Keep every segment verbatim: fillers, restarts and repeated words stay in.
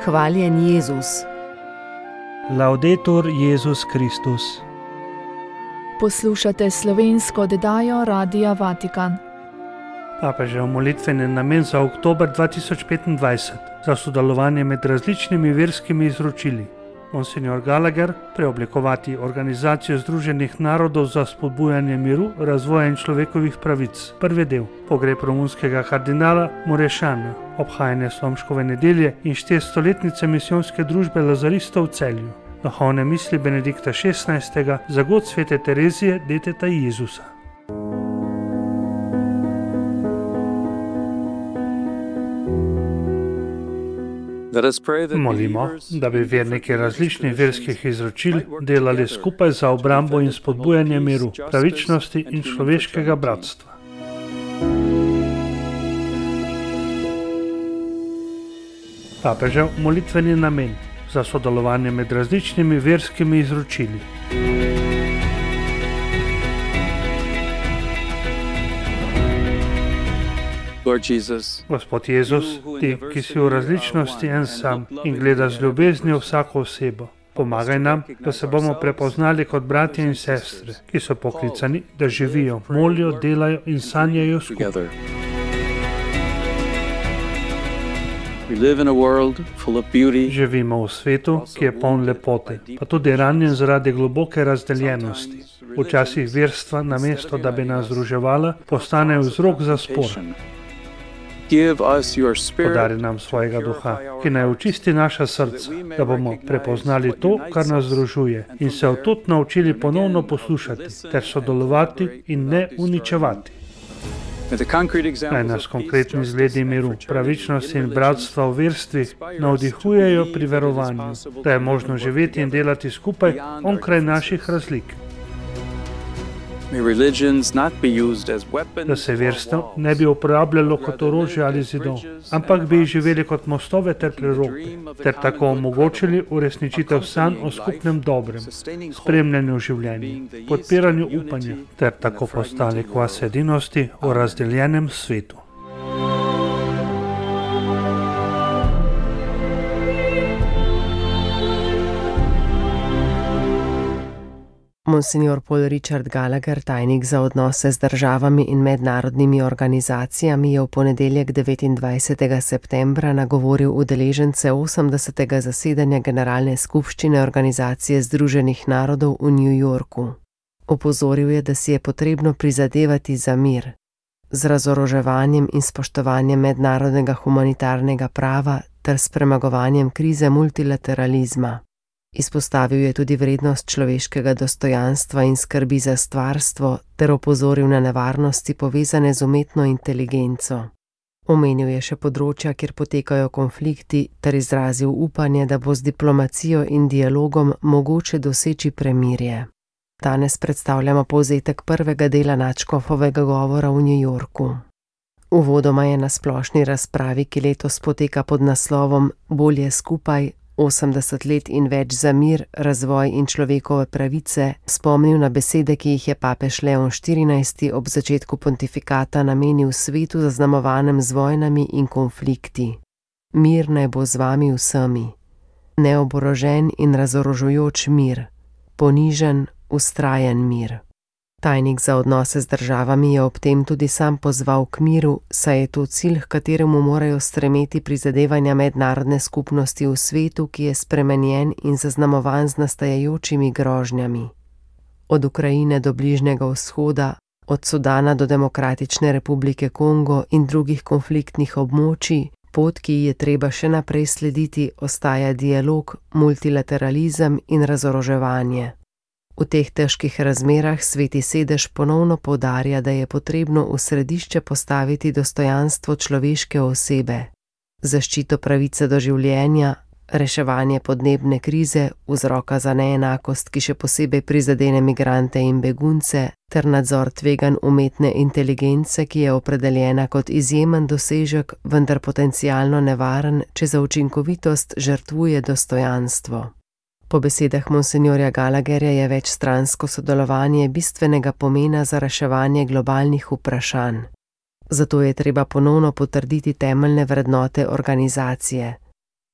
Hvaljen Jezus. Laudetur Jezus Kristus. Poslušate slovensko oddajo Radia Vatikan. Papežev molitveni namen za oktober dva tisoč petindvajset za sodelovanje med različnimi verskimi izročili. Monsignor Gallagher, preoblikovati Organizacijo Združenih narodov za spodbujanje miru, razvoja in človekovih pravic. Prvi del. Pogreb romunskega kardinala Murešana, obhajanje Slomškove nedelje in štiristoletnice misijonske družbe Lazaristov v Celju. Duhovne misli Benedikta šestnajstega za god svete Terezije, deteta Jezusa. Molimo, da bi verniki različnih verskih izročil delali skupaj za obrambo in spodbujanje miru, pravičnosti in človeškega bratstva. Papežev molitveni namen za sodelovanje med različnimi verskimi izročili. Gospod Jezus, ti, ki si v različnosti en sam in gleda z ljubeznijo vsako osebo, pomagaj nam, da se bomo prepoznali kot bratje in sestre, ki so poklicani, da živijo, molijo, delajo in sanjajo skupaj. Živimo v svetu, ki je poln lepote, pa tudi ranjen zaradi globoke razdeljenosti. Včasih verstva, namesto da bi nas združevala, postanejo vzrok za spor. Podari nam svojega duha, ki naj očisti naša srca, da bomo prepoznali to, kar nas združuje, in se od tod naučili ponovno poslušati ter sodelovati in ne uničevati. Naj nas konkretni zgledi miru, pravičnosti in bratstva v verstvih navdihujejo pri verovanju, da je možno živeti in delati skupaj onkraj naših razlik. Da se verstvo ne bi uporabljalo kot orožje ali zidov, ampak bi živeli kot mostove ter preroke, ter tako omogočili uresničitev sanj o skupnem dobrem, spremljanju življenja, podpiranju upanja, ter tako postali kvas edinosti v razdeljenem svetu. Monsignor Paul Richard Gallagher, tajnik za odnose z državami in mednarodnimi organizacijami, je v ponedeljek devetindvajsetega septembra nagovoril udeležence osemdesetega zasedanja Generalne skupščine Organizacije Združenih narodov v New Yorku. Opozoril je, da si je potrebno prizadevati za mir, z razoroževanjem in spoštovanjem mednarodnega humanitarnega prava ter s premagovanjem krize multilateralizma. Izpostavil je tudi vrednost človeškega dostojanstva in skrbi za stvarstvo ter opozoril na nevarnosti povezane z umetno inteligenco. Omenil je še področja, kjer potekajo konflikti, ter izrazil upanje, da bo z diplomacijo in dialogom mogoče doseči premirje. Danes predstavljamo povzetek prvega dela nadškofovega govora v New Yorku. Uvodoma je na splošni razpravi, ki letos poteka pod naslovom Bolje skupaj, osemdeset let in več za mir, razvoj in človekove pravice, spomnil na besede, ki jih je papež Leon štirinajsti ob začetku pontifikata namenil svetu zaznamovanem z vojnami in konflikti. Mir naj bo z vami vsemi. Neoborožen in razorožujoč mir. Ponižen, vztrajen mir. Tajnik za odnose z državami je ob tem tudi sam pozval k miru, saj je to cilj, h kateremu morajo stremeti prizadevanja mednarodne skupnosti v svetu, ki je spremenjen in zaznamovan z nastajajočimi grožnjami. Od Ukrajine do Bližnjega vzhoda, od Sudana do Demokratične republike Kongo in drugih konfliktnih območij, pot, ki ji je treba še naprej slediti, ostaja dialog, multilateralizem in razoroževanje. V teh težkih razmerah Sveti sedež ponovno poudarja, da je potrebno v središče postaviti dostojanstvo človeške osebe, zaščito pravice do življenja, reševanje podnebne krize, vzroka za neenakost, ki še posebej prizadene migrante in begunce, ter nadzor tveganj umetne inteligence, ki je opredeljena kot izjemen dosežek, vendar potencialno nevaren, če za učinkovitost žrtvuje dostojanstvo. Po besedah monsinjorja Gallagherja je večstransko sodelovanje bistvenega pomena za reševanje globalnih vprašanj. Zato je treba ponovno potrditi temeljne vrednote organizacije.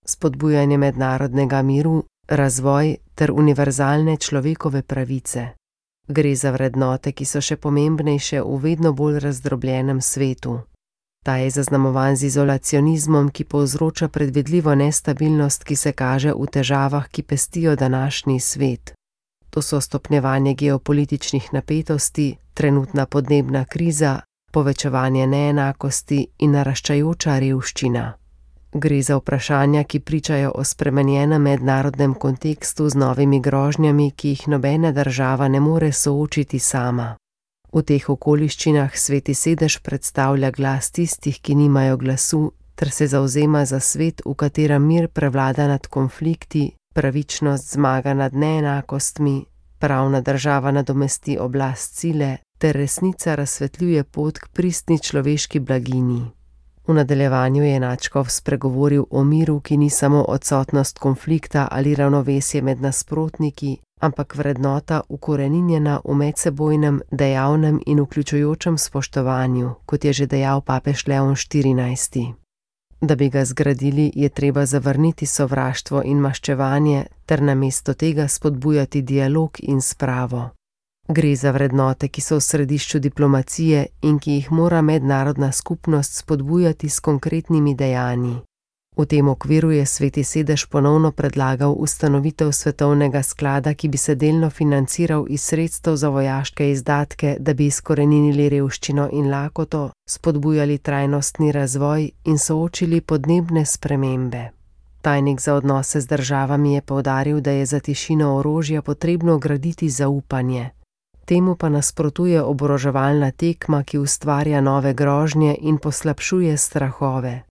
spodbujanje mednarodnega miru, razvoj ter univerzalne človekove pravice. Gre za vrednote, ki so še pomembnejše v vedno bolj razdrobljenem svetu. Ta je zaznamovan z izolacionizmom, ki povzroča predvidljivo nestabilnost, ki se kaže v težavah, ki pestijo današnji svet. To so stopnjevanje geopolitičnih napetosti, trenutna podnebna kriza, povečevanje neenakosti in naraščajoča revščina. Gre za vprašanja, ki pričajo o spremenjenem mednarodnem kontekstu z novimi grožnjami, ki jih nobena država ne more soočiti sama. V teh okoliščinah Sveti sedež predstavlja glas tistih, ki nimajo glasu, ter se zavzema za svet, v katerem mir prevlada nad konflikti, pravičnost zmaga nad neenakostmi, pravna država nadomesti oblast sile, ter resnica razsvetljuje pot k pristni človeški blaginji. V nadaljevanju je nadškof spregovoril o miru, ki ni samo odsotnost konflikta ali ravnovesje med nasprotniki, ampak vrednota ukoreninjena v medsebojnem, dejavnem in vključujočem spoštovanju, kot je že dejal papež Leon štirinajsti. Da bi ga zgradili, je treba zavrniti sovraštvo in maščevanje ter namesto tega spodbujati dialog in spravo. Gre za vrednote, ki so v središču diplomacije in ki jih mora mednarodna skupnost spodbujati s konkretnimi dejanji. V tem okviru je Sveti sedež ponovno predlagal ustanovitev svetovnega sklada, ki bi se delno financiral iz sredstev za vojaške izdatke, da bi izkoreninili revščino in lakoto, spodbujali trajnostni razvoj in soočili podnebne spremembe. Tajnik za odnose z državami je poudaril, da je za tišino orožja potrebno graditi zaupanje. Temu pa nasprotuje oboroževalna tekma, ki ustvarja nove grožnje in poslabšuje strahove.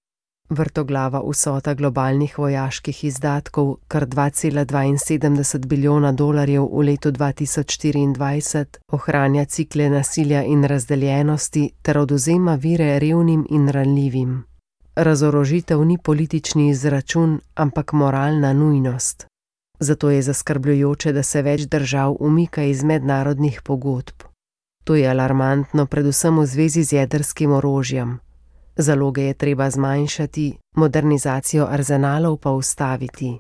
Vrtoglava vsota globalnih vojaških izdatkov, kar dva cela dvainsedemdeset bilijona dolarjev v letu dva tisoč štiriindvajset, ohranja cikle nasilja in razdeljenosti ter odvzema vire revnim in ranljivim. Razorožitev ni politični izračun, ampak moralna nujnost. Zato je zaskrbljujoče, da se več držav umika iz mednarodnih pogodb. To je alarmantno predvsem v zvezi z jedrskim orožjem. Zaloge je treba zmanjšati, modernizacijo arzenalov pa ustaviti.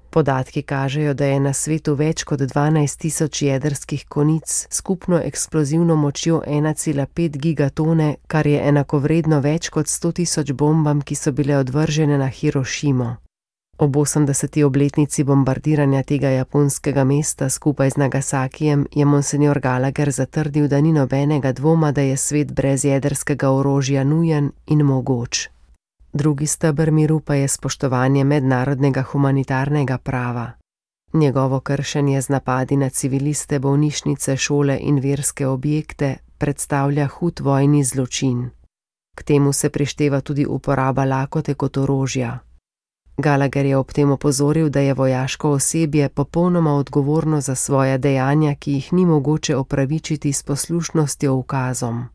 Podatki kažejo, da je na svetu več kot dvanajst tisoč jedrskih konic, skupno eksplozivno močjo ena cela pet gigatone, kar je enakovredno več kot sto tisoč bombam, ki so bile odvržene na Hirošimo. Ob osemdeseti obletnici bombardiranja tega japonskega mesta skupaj z Nagasakijem je monsenjor Gallagher zatrdil, da ni nobenega dvoma, da je svet brez jedrskega orožja nujen in mogoč. Drugi steber miru pa je spoštovanje mednarodnega humanitarnega prava. Njegovo kršenje z napadi na civiliste, bolnišnice, šole in verske objekte predstavlja hud vojni zločin. K temu se prišteva tudi uporaba lakote kot orožja. Gallagher je ob tem opozoril, da je vojaško osebje popolnoma odgovorno za svoja dejanja, ki jih ni mogoče opravičiti s poslušnostjo ukazom.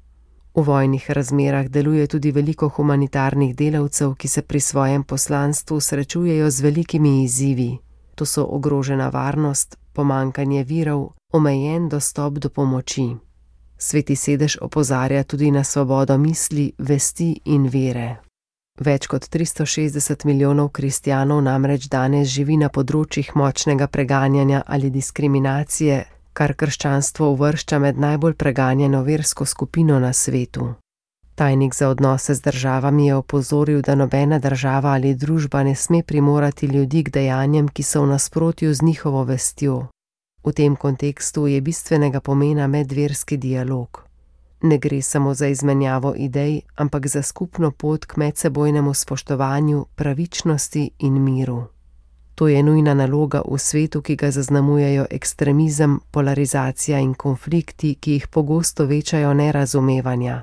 V vojnih razmerah deluje tudi veliko humanitarnih delavcev, ki se pri svojem poslanstvu srečujejo z velikimi izzivi. To so ogrožena varnost, pomanjkanje virov, omejen dostop do pomoči. Sveti sedež opozarja tudi na svobodo misli, vesti in vere. Več kot tristo šestdeset milijonov kristjanov namreč danes živi na področjih močnega preganjanja ali diskriminacije, kar krščanstvo uvršča med najbolj preganjeno versko skupino na svetu. Tajnik za odnose z državami je opozoril, da nobena država ali družba ne sme primorati ljudi k dejanjem, ki so v nasprotju z njihovo vestjo. V tem kontekstu je bistvenega pomena medverski dialog. Ne gre samo za izmenjavo idej, ampak za skupno pot k medsebojnemu spoštovanju, pravičnosti in miru. To je nujna naloga v svetu, ki ga zaznamujejo ekstremizem, polarizacija in konflikti, ki jih pogosto večajo nerazumevanja.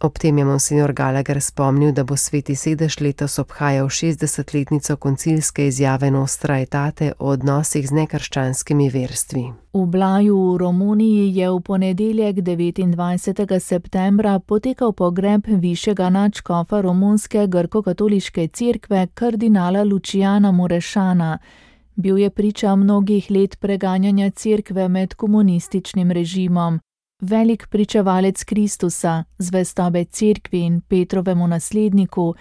Ob tem je monsenjor Gallagher spomnil, da bo Sveti sedež letos obhajal šestdesetletnico koncilske izjave Nostra Aetate o odnosih z nekrščanskimi verstvi. V Blaju v Romuniji je v ponedeljek devetindvajsetega septembra potekal pogreb višjega nadškofa romunske grko-katoliške cerkve kardinala Luciana Murešana. Bil je priča mnogih let preganjanja cerkve med komunističnim režimom. Velik pričevalec Kristusa, zvestobe cerkvi in Petrovemu nasledniku,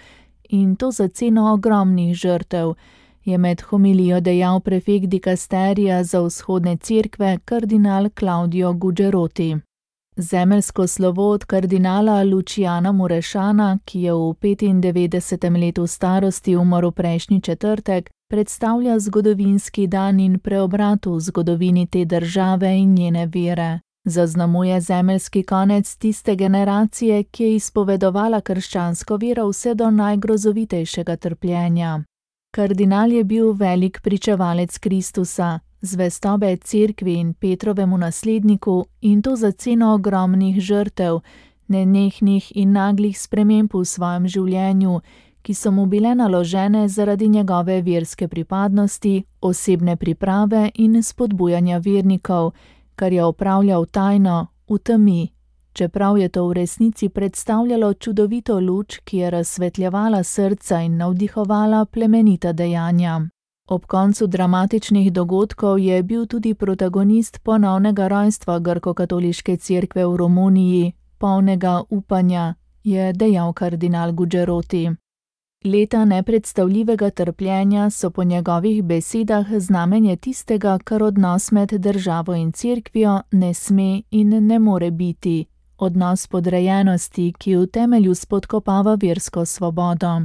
in to za ceno ogromnih žrtev, je med homilijo dejal prefekt dikasterija za vzhodne cerkve kardinal Claudio Gugeroti. Zemeljsko slovo od kardinala Luciana Murešana, ki je v petindevetdesetem letu starosti umrl prejšnji četrtek, predstavlja zgodovinski dan in preobrat v zgodovini te države in njene vere. Zaznamuje zemeljski konec tiste generacije, ki je izpovedovala krščansko vero vse do najgrozovitejšega trpljenja. Kardinal je bil velik pričevalec Kristusa, zvestobe cerkvi in Petrovemu nasledniku, in to za ceno ogromnih žrtev, nenehnih in naglih sprememb v svojem življenju, ki so mu bile naložene zaradi njegove verske pripadnosti, osebne priprave in spodbujanja vernikov, kar je opravljal tajno, v temi, čeprav je to v resnici predstavljalo čudovito luč, ki je razsvetljevala srca in navdihovala plemenita dejanja. Ob koncu dramatičnih dogodkov je bil tudi protagonist ponovnega rojstva grko-katoliške cerkve v Romuniji, polnega upanja, je dejal kardinal Gugeroti. Leta nepredstavljivega trpljenja so po njegovih besedah znamenje tistega, kar odnos med državo in cerkvijo ne sme in ne more biti, odnos podrejenosti, ki v temelju spodkopava versko svobodo.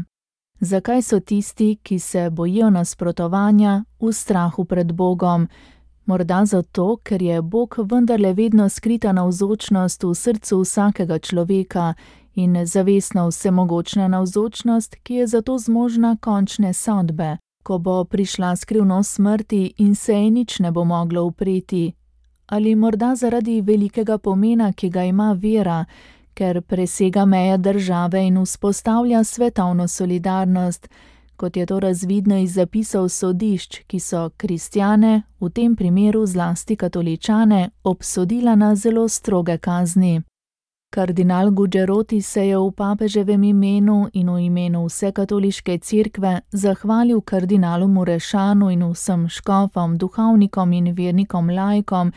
Zakaj so tisti, ki se bojijo nasprotovanja, v strahu pred Bogom? Morda zato, ker je Bog vendarle vedno skrita navzočnost v srcu vsakega človeka in zavestno vsemogočna navzočnost, ki je zato zmožna končne sodbe, ko bo prišla skrivnost smrti in se ji nič ne bo moglo upreti. Ali morda zaradi velikega pomena, ki ga ima vera, ker presega meje države in vzpostavlja svetovno solidarnost, kot je to razvidno iz zapisov sodišč, ki so kristjane, v tem primeru zlasti katoličane, obsodila na zelo stroge kazni. Kardinal Gugeroti se je v papeževem imenu in v imenu vse katoliške cerkve zahvalil kardinalu Murešanu in vsem škofom, duhovnikom in vernikom laikom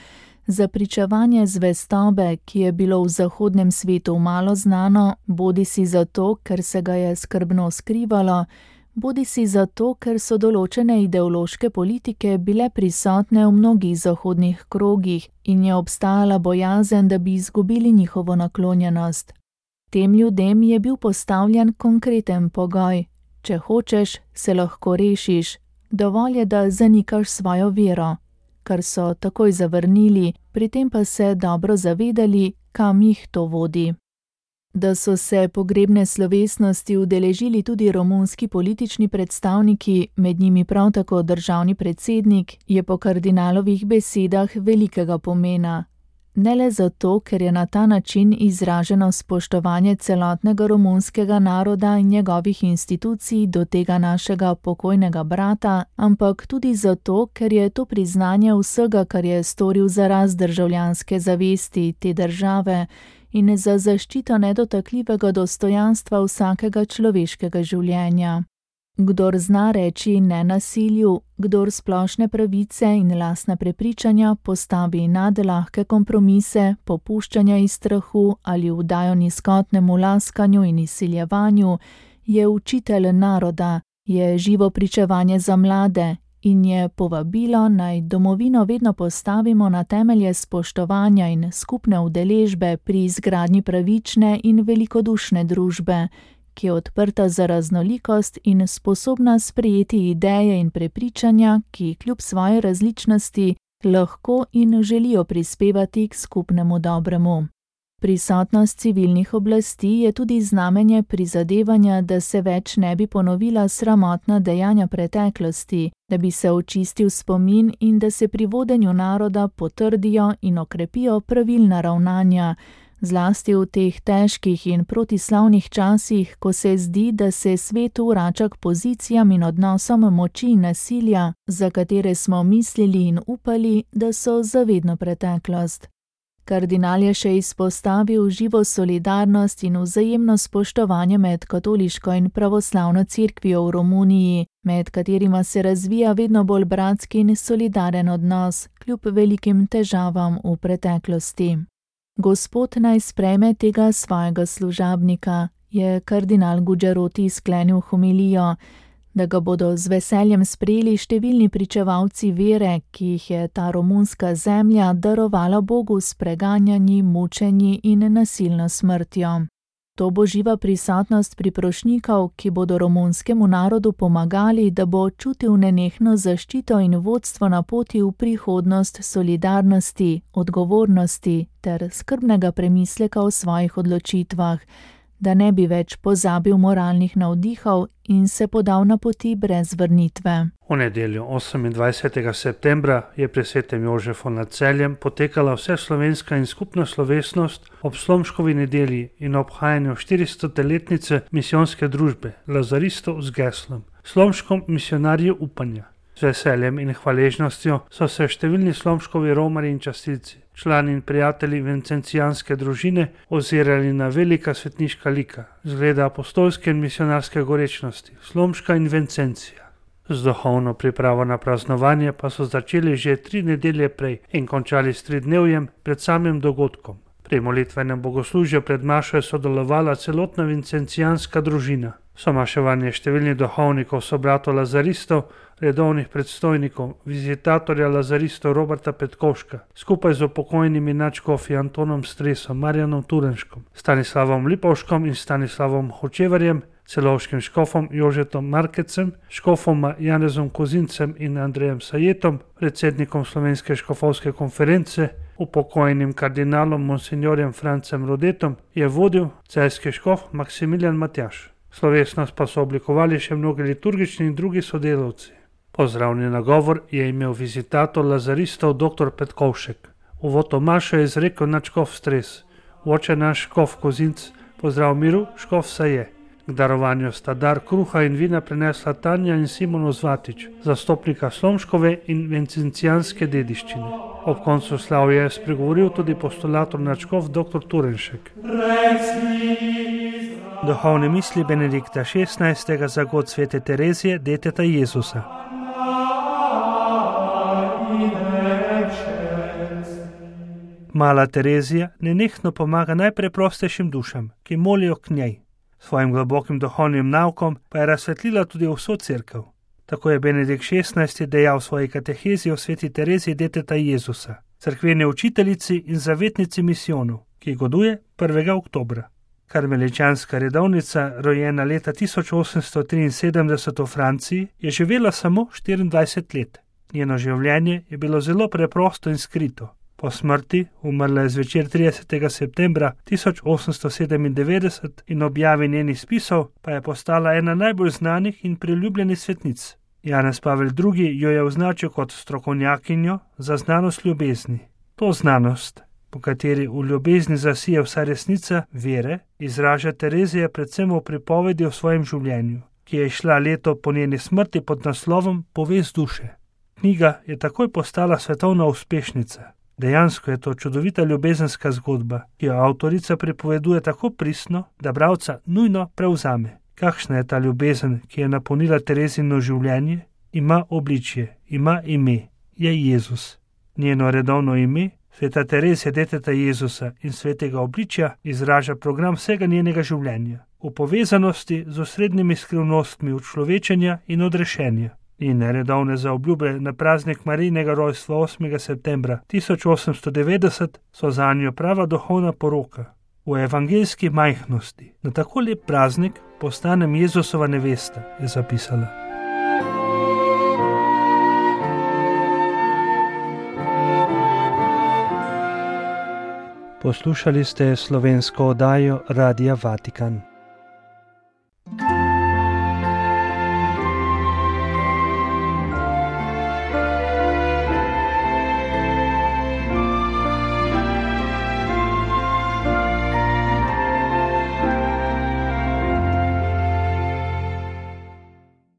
za pričevanje zvestobe, ki je bilo v zahodnem svetu malo znano, bodisi zato, ker se ga je skrbno skrivalo, bodisi zato, ker so določene ideološke politike bile prisotne v mnogih zahodnih krogih in je obstajala bojazen, da bi izgubili njihovo naklonjenost. Tem ljudem je bil postavljen konkreten pogoj: če hočeš, se lahko rešiš, dovolj je, da zanikaš svojo vero, kar so takoj zavrnili, pri tem pa se dobro zavedali, kam jih to vodi. Da so se pogrebne slovesnosti udeležili tudi romunski politični predstavniki, med njimi prav tako državni predsednik, je po kardinalovih besedah velikega pomena. Ne le zato, ker je na ta način izraženo spoštovanje celotnega romunskega naroda in njegovih institucij do tega našega pokojnega brata, ampak tudi zato, ker je to priznanje vsega, kar je storil za rast državljanske zavesti te države in za zaščito nedotakljivega dostojanstva vsakega človeškega življenja. Kdor zna reči ne nasilju, kdor splošne pravice in lastna prepričanja postavi nad lahke kompromise, popuščanja iz strahu ali vdajo nizkotnemu laskanju in izsiljevanju, je učitelj naroda, je živo pričevanje za mlade in je povabilo, naj domovino vedno postavimo na temelje spoštovanja in skupne udeležbe pri izgradnji pravične in velikodušne družbe, ki je odprta za raznolikost in sposobna sprejeti ideje in prepričanja, ki kljub svoji različnosti lahko in želijo prispevati k skupnemu dobremu. Prisotnost civilnih oblasti je tudi znamenje prizadevanja, da se več ne bi ponovila sramotna dejanja preteklosti, da bi se očistil spomin in da se pri vodenju naroda potrdijo in okrepijo pravilna ravnanja, zlasti v teh težkih in protislavnih časih, ko se zdi, da se svet vrača k pozicijam in odnosom moči in nasilja, za katere smo mislili in upali, da so zavedno preteklost. Kardinal je še izpostavil živo solidarnost in vzajemno spoštovanje med katoliško in pravoslavno cerkvijo v Romuniji, med katerima se razvija vedno bolj bratski in solidaren odnos, kljub velikim težavam v preteklosti. Gospod naj sprejme tega svojega služabnika, je kardinal Gugeroti sklenil homilijo, da ga bodo z veseljem sprejeli številni pričevalci vere, ki jih je ta romunska zemlja darovala Bogu s preganjanji, mučenji in nasilno smrtjo. To bo živa prisotnost priprošnjikov, ki bodo romunskemu narodu pomagali, da bo čutil nenehno zaščito in vodstvo na poti v prihodnost solidarnosti, odgovornosti ter skrbnega premisleka o svojih odločitvah, da ne bi več pozabil moralnih navdihov in se podal na poti brez vrnitve. V nedeljo osemindvajsetega septembra je pri svetem Jožefu nad Celjem potekala vseslovenska in skupna slovesnost ob Slomškovi nedelji in obhajanju štiristoletnice misijonske družbe lazaristov z geslom Slomškom misionarji upanja. Z veseljem in hvaležnostjo so se številni Slomškovi romarji in častilci, člani in prijatelji vencencijanske družine ozirali na velika svetniška lika, zgleda apostolske in misionarske gorečnosti, Slomška in Vencencija. Z duhovno pripravo na praznovanje pa so začeli že tri nedelje prej in končali s tridnevjem pred samim dogodkom. Pri molitvenem bogoslužju pred mašo je sodelovala celotna vencencijanska družina. Somaševanje številnih duhovnikov, sobratov lazaristov, redovnih predstojnikov, vizitatorja lazaristov Roberta Petkovška, skupaj z upokojnimi nadškofi Antonom Stresom, Marjanom Turenškom, Stanislavom Lipovškom in Stanislavom Hočevarjem, celovškim škofom Jožetom Markecem, škofoma Janezom Kozincem in Andrejem Sajetom, predsednikom Slovenske škofovske konference, upokojenim kardinalom monsignorjem Francem Rodetom, je vodil celjski škof Maksimilijan Matjaž. Slovesnost pa so oblikovali še mnogi liturgični in drugi sodelavci. Pozdravni nagovor je imel vizitator lazaristov dr. Petkovšek. Uvod v mašo je izrekel nadškof Stres, oče naš škof Kozinc, pozdrav miru, škof Saje. K darovanju sta dar kruha in vina prinesla Tanja in Simon Ozvatič, zastopnika Slomškove in vencencijanske dediščine. Ob koncu slavja je spregovoril tudi postulator nadškof dr. Turenšek. Duhovne misli Benedikta šestnajstega za god svete Terezije, deteta Jezusa. Mala Terezija nenehno pomaga najpreprostejšim dušam, ki molijo k njej. Svojim globokim duhovnim naukom pa je razsvetlila tudi vso cerkev. Tako je Benedikt šestnajsti dejal v svoji katehezi o sveti Tereziji, deteta Jezusa, cerkveni učiteljici in zavetnici misijonov, ki goduje prvega oktobra. Karmeličanska redovnica, rojena leta tisoč osemsto triinsedemdeset v Franciji, je živela samo štiriindvajset let. Njeno življenje je bilo zelo preprosto in skrito. Po smrti, umrla je zvečer tridesetega septembra tisoč osemsto sedemindevetdeset in objavi njenih spisov, pa je postala ena najbolj znanih in priljubljenih svetnic. Janez Pavel drugi jo je označil kot strokovnjakinjo za znanost ljubezni. To znanost, po kateri v ljubezni zasije vsa resnica vere, izraža Terezija predvsem v pripovedi o svojem življenju, ki je šla leto po njeni smrti pod naslovom Povest duše. Knjiga je takoj postala svetovna uspešnica. Dejansko je to čudovita ljubezenska zgodba, ki jo avtorica pripoveduje tako pristno, da bralca nujno prevzame. Kakšna je ta ljubezen, ki je napolnila Terezino življenje? Ima obličje, ima ime, je Jezus. Njeno redovno ime, sveta Terezija, deteta Jezusa in svetega obličja, izraža program vsega njenega življenja, v povezanosti z osrednjimi skrivnostmi učlovečenja in odrešenja. Njene redovne zaobljube na praznik Marijinega rojstva osmega septembra tisoč osemsto devetdeset so zanjo prava duhovna poroka. V evangeljski majhnosti, na tako lep praznik, postanem Jezusova nevesta, je zapisala. Poslušali ste slovensko oddajo Radia Vatikan.